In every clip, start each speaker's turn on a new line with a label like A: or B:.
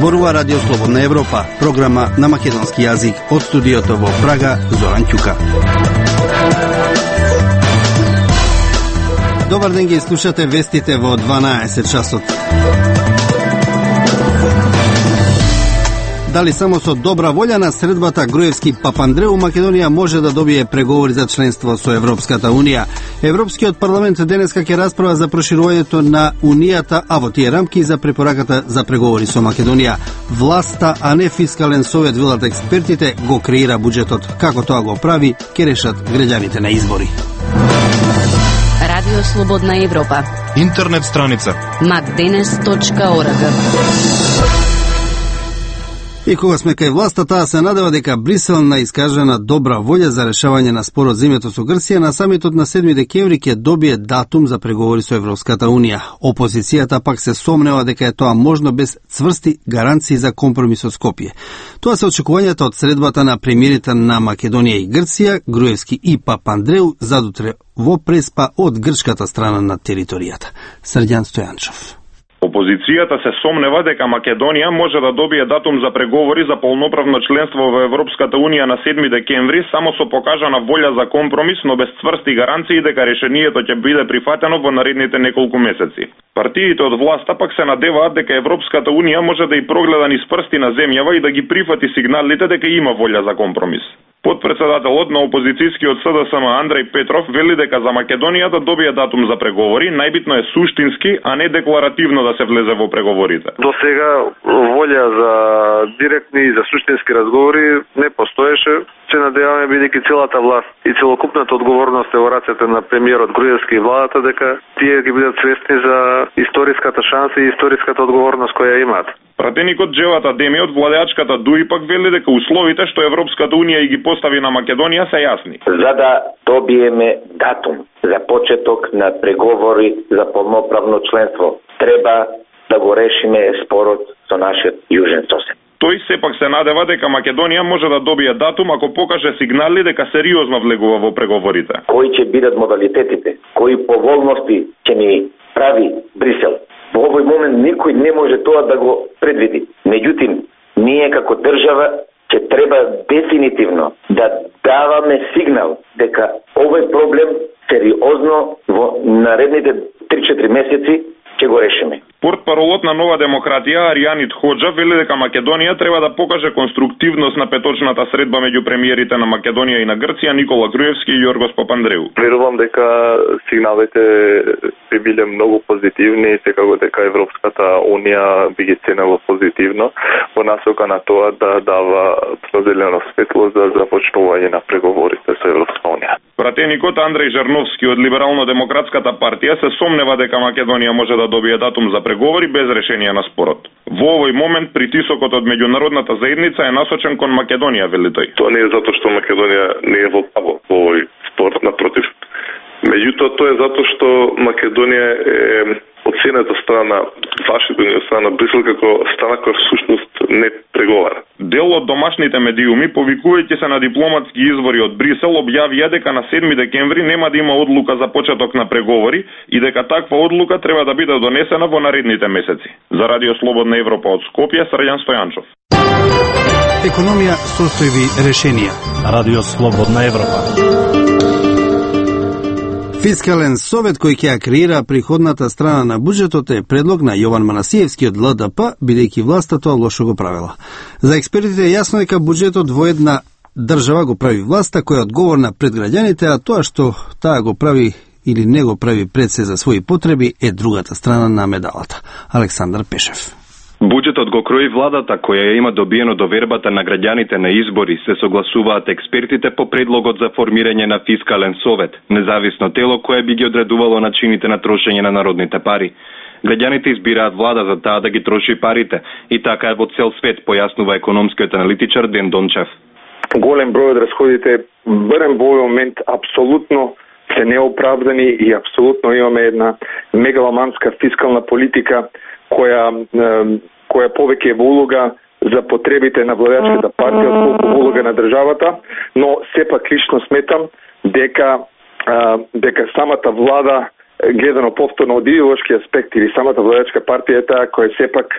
A: Зборува Радио Слободна Европа, програма на македонски јазик од студиото во Прага, Зоран Ќука. Добар ден, ги слушате вестите во 12 часот. Дали само со добра волја на средбата Груевски-Папандреу Македонија може да добие преговори за членство со Европската Унија? Европскиот парламент денеска ќе расправа за проширувањето на Унијата, а во тие рамки за препораката за преговори со Македонија. Власта, а не фискален совет, велат експертите, го креира буџетот. Како тоа го прави, ќе решат граѓаните на избори.
B: Радио Слободна Европа.
C: Интернет страница
B: macdenes.org.
A: И кога сме кај власта, таа се надева дека Брисел на искажена добра волја за решавање на спорот за името со Грција на самитот на 7 декември ќе добие датум за преговори со Европската Унија. Опозицијата пак се сомнева дека е тоа можно без цврсти гаранции за компромис со Скопје. Тоа се очекувањата од средбата на премиерите на Македонија и Грција, Груевски и Папандреу, задутре во Преспа од грчката страна на територијата. Срđan Стојанчов.
D: Опозицијата се сомнева дека Македонија може да добие датум за преговори за полноправно членство во Европската Унија на 7 декември само со покажана волја за компромис, но без цврсти гаранции дека решението ќе биде прифатено во наредните неколку месеци. Партиите од власта пак се надеваат дека Европската Унија може да и прогледа низ прсти на земјава и да ги прифати сигналите дека има волја за компромис. Подпредседателот на опозицијскиот СДСМ Андреј Петров вели дека за Македонија да добие датум за преговори, најбитно е суштински, а не декларативно да се влезе во преговорите.
E: До сега волја за директни и за суштински разговори не постоеше. Се надеваме, бидејќи целата власт и целокупната одговорност е во рацете на премиерот Груевски и владата, дека тие ги бидат свесни за историската шанса и историската одговорност која имаат.
D: Пратеникот Джеват Адеми од владеачката ДУИ пак вели дека условите што Европската Унија и ги постави на Македонија се јасни.
F: За да добиеме датум за почеток на преговори за полноправно членство, треба да го решиме спорот со нашиот јужен сосед.
D: Тој сепак се надева дека Македонија може да добие датум ако покаже сигнали дека сериозно влегува во преговорите.
F: Кои ќе бидат модалитетите? Кои поволности ќе ни прави Брисел? Во овој момент никој не може тоа да го предвиди. Меѓутоа, ние како држава ќе треба дефинитивно да даваме сигнал дека овој проблем сериозно во наредните 3-4 месеци ќе го решиме.
D: Портпаролот на Нова демократија Аријанит Хоџа вели дека Македонија треба да покаже конструктивност на петочната средба меѓу премиерите на Македонија и на Грција Никола Груевски и Јоргос Папандреу.
E: Верувам дека сигналите би биле многу позитивни и секако дека Европската Унија би ги ценела позитивно во насока на тоа да дава зелено светло за започнување на преговорите со Европска Унија.
D: Пратеникот Андреј Жарновски од Либерално-демократската партија се сомнева дека Македонија може да добие датум за преговори без решение на спорот. Во овој момент притисокот од меѓународната заедница е насочен кон Македонија, вели тој.
E: Тоа не е затоа што Македонија не е во право во овој спорт, напротив. Меѓутоа тоа е затоа што Македонија е оценета страна Вашингтон и страна Брисел како страна која всушност не преговара.
D: Дел од домашните медиуми, повикувајќи се на дипломатски извори од Брисел, објавија дека на 7 декември нема да има одлука за почеток на преговори и дека таква одлука треба да биде донесена во наредните месеци. За Радио Слободна Европа од Скопје, Срđan Стојанчов.
A: Економија, состојби, решенија.
C: Радио Слободна Европа.
A: Фискален совет кој ќе ја креира приходната страна на буџетот е предлог на Јован Манасиевски од ЛДП, бидејќи власта тоа лошо го правила. За експертите е јасно дека буџетот во една држава го прави власта која е одговорна пред граѓаните, а тоа што таа го прави или не го прави пред се за своји потреби е другата страна на медалата. Александар Пешев.
G: Буџетот го крои владата која ја има добиено довербата на граѓаните на избори, се согласуваат експертите по предлогот за формирање на фискален совет, независно тело кое би ги одредувало начините на трошење на народните пари. Граѓаните избираат влада за таа да ги троши парите и така е во цел свет, појаснува економскиот аналитичар Ден Дончев.
E: Голем број од расходите барем во овој момент апсолутно се неоправдани и апсолутно имаме една мегаломанска фискална политика која повеќе е во улога за потребите на владеачката партија отколку во улога на државата, но сепак лично сметам дека самата влада гледано повторно од идеолошки аспект или самата владеачка партија е таа која сепак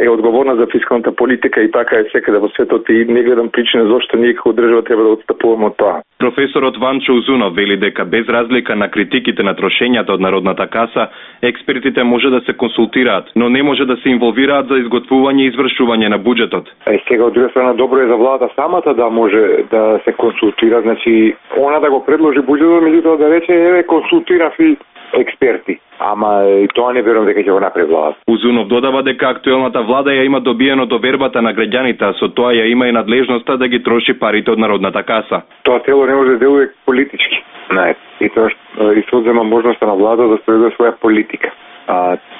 E: е одговорна за фискалната политика и така е секаде во светот и не гледам причина зошто ние како држава треба да отстапуваме од тоа.
G: Професорот Ванчо Узунов вели дека без разлика на критиките на трошењата од Народната каса, експертите може да се консултираат, но не може да се инволвираат за изготвување и извршување на буџетот.
H: Сега од друга страна добро е за владата самата да може да се консултира, значи она да го предложи буџетот, меѓутоа да рече еве консултирав и експерти. Ама и тоа не верувам дека ќе го направи владата.
G: Узунов додава дека актуелната влада ја има добиено довербата на граѓаните, а со тоа ја има и надлежноста да ги троши парите од Народната каса.
H: Тоа тело не може да делува политички. И тоа и се одзема можноста на влада да спроведе своја политика.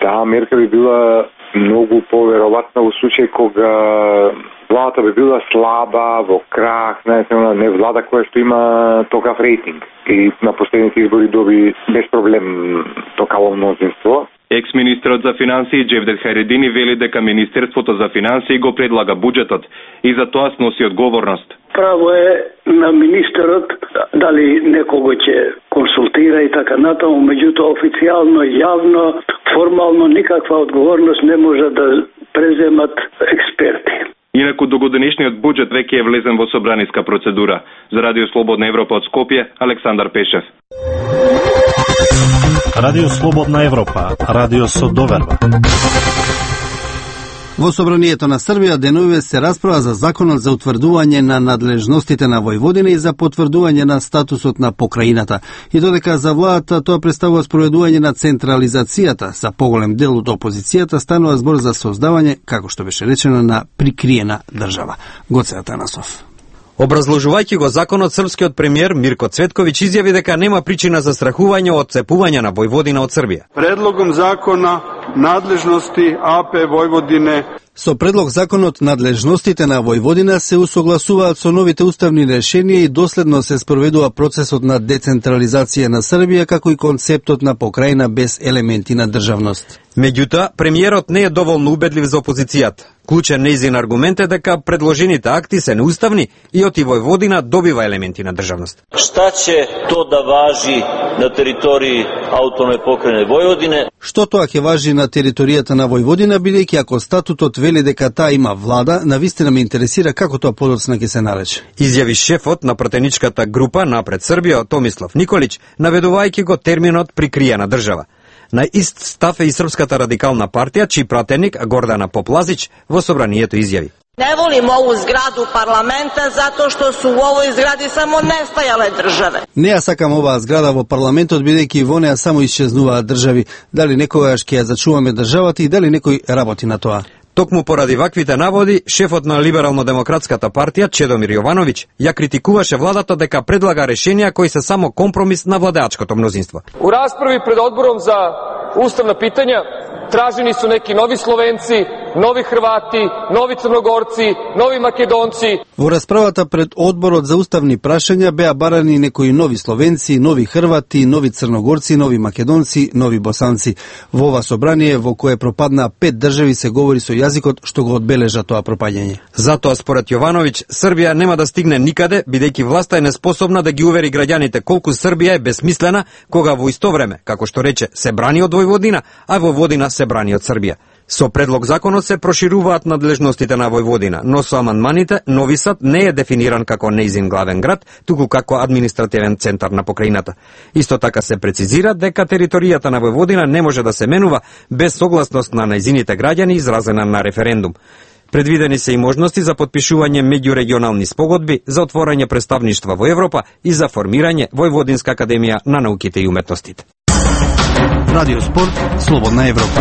H: Таа мерка би била многу поверојатна во случај кога владата би била слаба, во крах, не влада која што има токав рейтинг и на последните избори доби без проблем токаво мнозинство.
G: Екс-министерот за финансии Джевдет Харедини вели дека Министерството за финансии го предлага буџетот и за тоа сноси одговорност.
I: Право е на министерот дали некого ќе консултира и така натаму, меѓутоа официјално, јавно, формално никаква одговорност не може да преземат експерти.
G: Инаку догодинешниот буџет веќе е влезен во собраниска процедура. За Радио Слободна Европа од Скопје, Александар Пешев.
C: Радио Слободна Европа, радио со доверба.
A: Во Собранието на Србија деновиве се расправа за законот за утврдување на надлежностите на Војводина и за потврдување на статусот на покраината. И додека за владата тоа представува спроведување на централизацијата, за поголем дел од опозицијата станува збор за создавање, како што беше речено, на прикриена држава. Гоце Атанасов.
J: Образложувајќи го законот, српскиот премиер Мирко Цветковиќ изјави дека нема причина за страхување од цепување на Војводина од Србија.
K: Предлогом закона надлежности АП Војводине.
A: Со предлог законот надлежностите на Војводина се усогласуваат со новите уставни решенија и доследно се спроведува процесот на децентрализација на Србија, како и концептот на покрајна без елементи на државност.
J: Меѓутоа, премиерот не е доволно убедлив за опозицијата. Клучен нејзин аргумент е дека предложените акти се неуставни и оти Војводина добива елементи на државност.
L: Шта ќе то да важи на територии автономне покрајне Војводине?
A: Што тоа ќе важи на територијата на Војводина, бидејќи ако статутот вели дека таа има влада, навистина ме интересира како тоа подоцна ќе се нарече.
J: Изјави шефот на пратеничката група Напред Србија, Томислав Николич, наведувајќи го терминот прикриена држава. На ист став е и Српската радикална партија, чиј пратеник Гордана Поплазич во собранието изјави.
M: Не волим ову зграду парламента затоа што су во овој згради само нестајале држави.
A: Не ја сакам оваа зграда во парламентот, бидејќи во неа само исчезнуваат држави. Дали некогаш ќе ја зачуваме државата и дали некој работи на тоа?
J: Токму поради ваквите наводи, шефот на Либерално-демократската партија Чедомир Јовановиќ ја критикуваше владата дека предлага решенија кои се само компромис на владеачкото мнозинство.
N: У расправи пред одбором за уставна питања тражени су неки нови Словенци, нови Хрвати, нови Црногорци, нови Македонци.
A: Во расправата пред одборот за уставни прашања беа барани некои нови Словенци, нови Хрвати, нови Црногорци, нови Македонци, нови Босанци. Во ова собрание во кое пропаднаа 5 држави се говори со јазикот што го одбележа тоа пропаѓање.
J: Затоа според Јовановиќ, Србија нема да стигне никаде, бидејќи власта е неспособна да ги увери граѓаните колку Србија е бесмислена, кога во исто време, како што рече, се брани од Војводина, а Војводина се брани од Србија. Со предлог законот се прошируваат надлежностите на Војводина, но со амандманите Нови Сад не е дефиниран како нејзин главен град, туку како административен центар на покрајната. Исто така се прецизира дека територијата на Војводина не може да се менува без согласност на нејзините граѓани изразена на референдум. Предвидени се и можности за потпишување меѓурегионални спогодби, за отворање представништва во Европа и за формирање Војводинска академија на науките и уметностите.
A: Радио Спорт, Слободна Европа.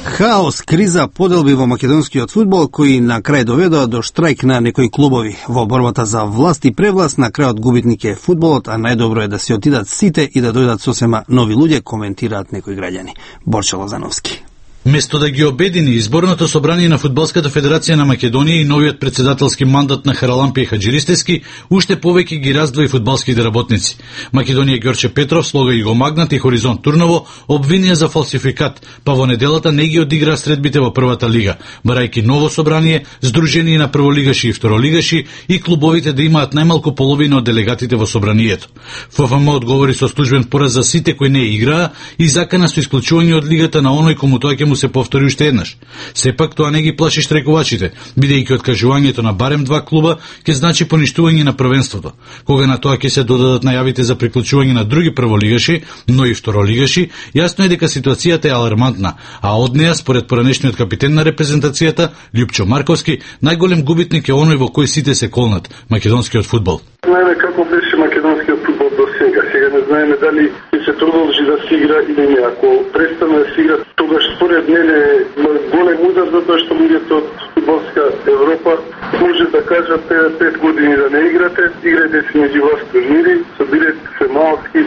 A: Хаос, криза, поделби во македонскиот фудбал кои на крај доведоа до штрајк на некои клубови. Во борбата за власт и превласт на крајот губитник е фудбалот, а најдобро е да се отидат сите и да дојдат сосема нови луѓе, коментираат некои граѓани. Борче Лозановски.
O: Место да ги обедини изборното собрание на Фудбалската федерација на Македонија и новиот председателски мандат на Харалампија Хаджиристевски, уште повеќе ги раздвои фудбалските работници. Македонија Ѓорче Петров, Слога Иго Магнат и Хоризонт Турново обвинија за фалсификат, па во неделата не ги одиграа средбите во првата лига, барајќи ново собрание, здружение на прволигаши и второлигаши и клубовите да имаат најмалку половина од делегатите во собранието. ФФМ одговори со службен пораз за сите кои не играа и закана со исклучување од лигата на оној кому тоа ќе му се повтори уште еднаш. Сепак тоа не ги плаши штрекувачите, бидејќи откажувањето на барем 2 клуба ќе значи поништување на првенството. Кога на тоа ќе се додадат најавите за приклучување на други прволигаши, но и второлигаши, јасно е дека ситуацијата е алармантна, а од неа според поранешниот капитен на репрезентацијата Љупчо Марковски, најголем губитник е оној во кој сите се колнат, македонскиот фудбал.
P: Знаеме како беше македонскиот фудбал до сега. Сега не знаеме дали ќе се продолжи да се игра или не. Ако престане да се игра, тогаш според мене е голем удар затоа што луѓето од фудбалска Европа може да кажат 5 години да не играте си меѓу вас турнири, собирате се малки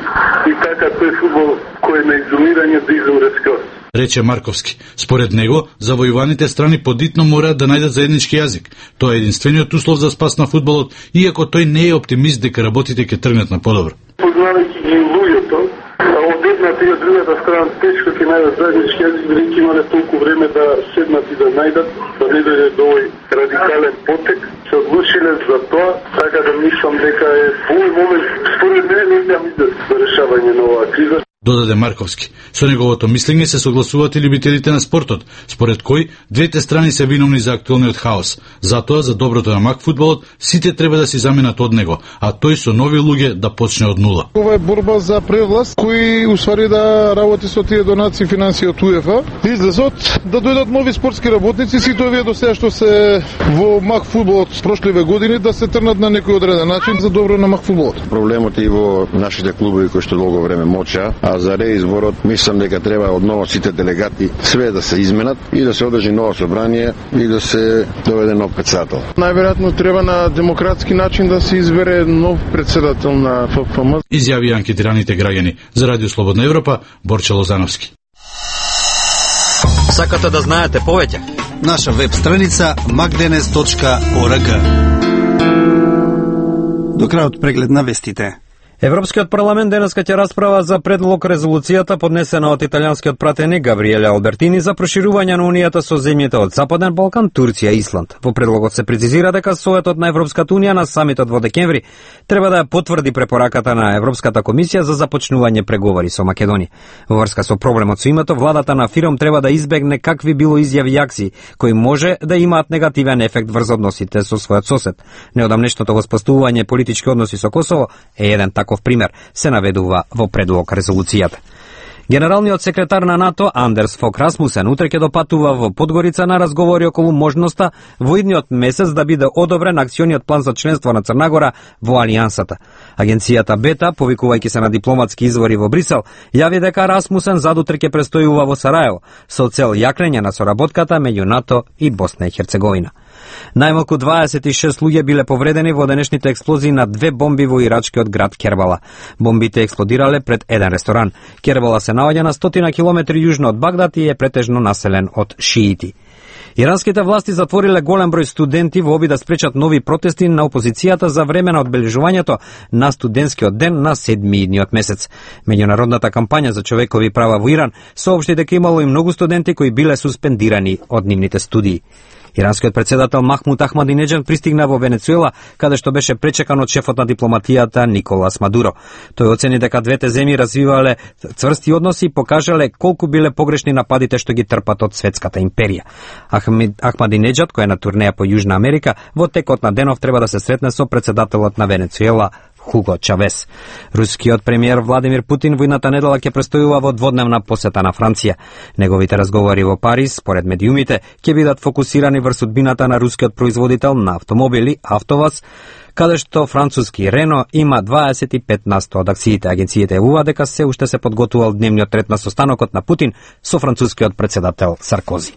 P: и така тој фудбал кој е на изолирање да изумре скроз.
O: Рече Марковски. Според него, завојуваните страни подитно мораат да најдат заеднички јазик. Тоа е единствениот услов за спас на фудбалот, иако тој не е оптимист дека работите ќе тргнат на подобро.
P: Познавајќи ги луѓето, од едната и од другата страна тешко ќе најдат заеднички јазик, бидејќи имале толку време да седнат и да најдат, да не дојде до овој радикален потек, се одлучиле за тоа, така да мислам дека е во овој момент според мене не имам изглед за решавање на оваа криза.
O: Додаде Марковски. Со неговото мислење се согласуваат и љубителите на спортот, според кој двете страни се виновни за актуелниот хаос. Затоа, за доброто на мак фудбалот, сите треба да си заменат од него, а тој со нови луѓе да почне од нула.
Q: Ова е борба за превласт, кој усвари да работи со тие донации финансии од УЕФА. Излезот да дојдат нови спортски работници, сите овие до сега што се во мак фудбалот прошливе години да се трнат на некој одреден начин за добро на мак фудбалот.
R: Проблемот е и во нашите клубови кои што долго време моча, а за реизборот мислам дека треба одново сите делегати све да се изменат и да се одржи ново собрание и да се доведе нов председател.
Q: Најверојатно треба на демократски начин да се избере нов председател на ФФМ.
O: Изјави анкетираните граѓани. За Радио Слободна Европа, Борче Лозановски.
J: Сакате да знаете повеќе?
A: Наша веб страница magdenes.org. До крајот преглед на вестите.
J: Европскиот парламент денеска ќе расправа за предлог резолуцијата поднесена од италијанскиот пратеник Габриеле Албертини за проширување на унијата со земјите од Западен Балкан, Турција и Исланд. Во предлогот се прецизира дека Советот на Европската унија на самитот во декември треба да ја потврди препораката на Европската комисија за започнување преговори со Македонија. Во врска со проблемот со името, владата на Фиром треба да избегне какви било изјави и акции кои може да имаат негативен ефект врз односите со својот сосед. Неодамнешното воспоставување политички односи со Косово е еден таков пример, се наведува во предлог резолуцијата. Генералниот секретар на НАТО Андерс Фок Расмусен утре ќе допатува во Подгорица на разговори околу можноста во идниот месец да биде одобрен акциониот план за членство на Црна во Алијансата. Агенцијата Бета, повикувајќи се на дипломатски извори во Брисел, јави дека Расмусен задутре ќе престојува во Сараево со цел јакнење на соработката меѓу НАТО и Босна и Херцеговина. Најмалку 26 луѓе биле повредени во денешните експлозии на 2 бомби во ирачкиот град Кербала. Бомбите експлодирале пред еден ресторан. Кербала се наоѓа на 100 километри јужно од Багдад и е претежно населен од шиити. Иранските власти затвориле голем број студенти во обид да спречат нови протести на опозицијата за време на одбележувањето на студентскиот ден на 7 идниот месец. Меѓународната кампања за човекови права во Иран соопшти дека имало и многу студенти кои биле суспендирани од нивните студии. Иранскиот председател Махмуд Ахмадинеџад пристигна во Венецуела, каде што беше пречекан од шефот на дипломатијата Николас Мадуро. Тој оцени дека двете земји развивале цврсти односи и покажале колку биле погрешни нападите што ги трпат од светската империја. Ахмадинеџад, кој е на турнеја по Јужна Америка, во текот на денов треба да се сретне со председателот на Венецуела Хуго Чавес. Рускиот премиер Владимир Путин во идната недела ќе престојува во дводневна посета на Франција. Неговите разговори во Париз, според медиумите, ќе бидат фокусирани врз судбината на рускиот производител на автомобили АвтоВАЗ, каде што француски Рено има 25% од акциите. Агенциите јавува дека се уште се подготувал дневниот ред на состанокот на Путин со францускиот председател Саркози.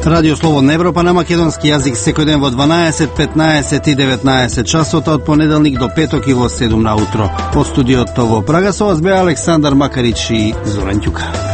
A: Радио Слободна Европа на македонски јазик секој ден во 12, 15 и 19 часота од понеделник до петок и во 7 наутро. Од студиото во Прага со вас бе Александар Макарич и Зоран Ќука.